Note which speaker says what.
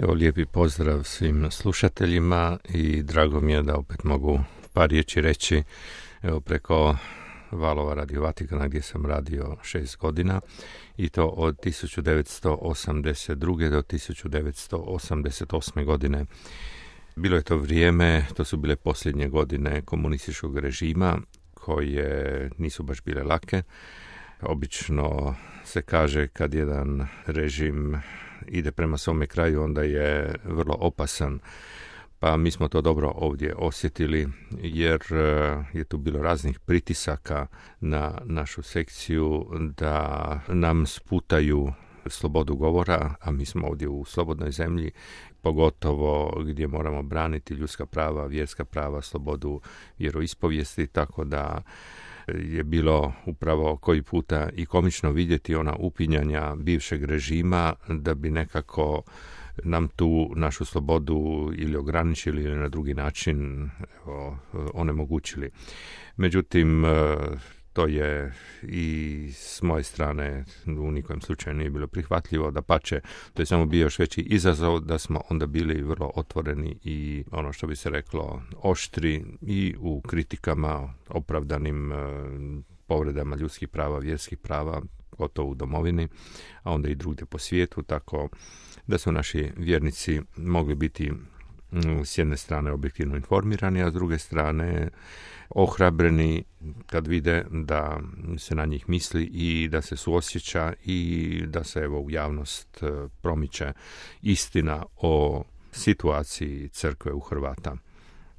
Speaker 1: Evo, lijepi pozdrav svim slušateljima i drago mi je da opet mogu par riječi reći preko valova Radio Vatikana gdje sam radio 6 godina i to od 1982. do 1988. godine. Bilo je to vrijeme, to su bile posljednje godine komunističkog režima koje nisu baš bile lake. Obično se kaže kad jedan režim ide prema svome kraju, onda je vrlo opasan. Pa mi smo to dobro ovdje osjetili jer je tu bilo raznih pritisaka na našu sekciju da nam sputaju slobodu govora, a mi smo ovdje u slobodnoj zemlji, pogotovo gdje moramo braniti ljudska prava, vjerska prava, slobodu vjeroispovijesti, tako da je bilo upravo koji puta i komično vidjeti ona upinjanja bivšeg režima da bi nekako nam tu našu slobodu ili ograničili ili na drugi način onemogućili. Međutim, to je i s moje strane u nikom slučaju nije bilo prihvatljivo, dapače, to je samo bio još veći izazov da smo onda bili vrlo otvoreni i ono što bi se reklo oštri i u kritikama opravdanim povredama ljudskih prava, vjerskih prava, gotovo u domovini, a onda i drugdje po svijetu, tako da su naši vjernici mogli biti s jedne strane objektivno informirani, a s druge strane ohrabreni kad vide da se na njih misli i da se suosjeća i da se evo u javnost promiče istina o situaciji crkve u Hrvata.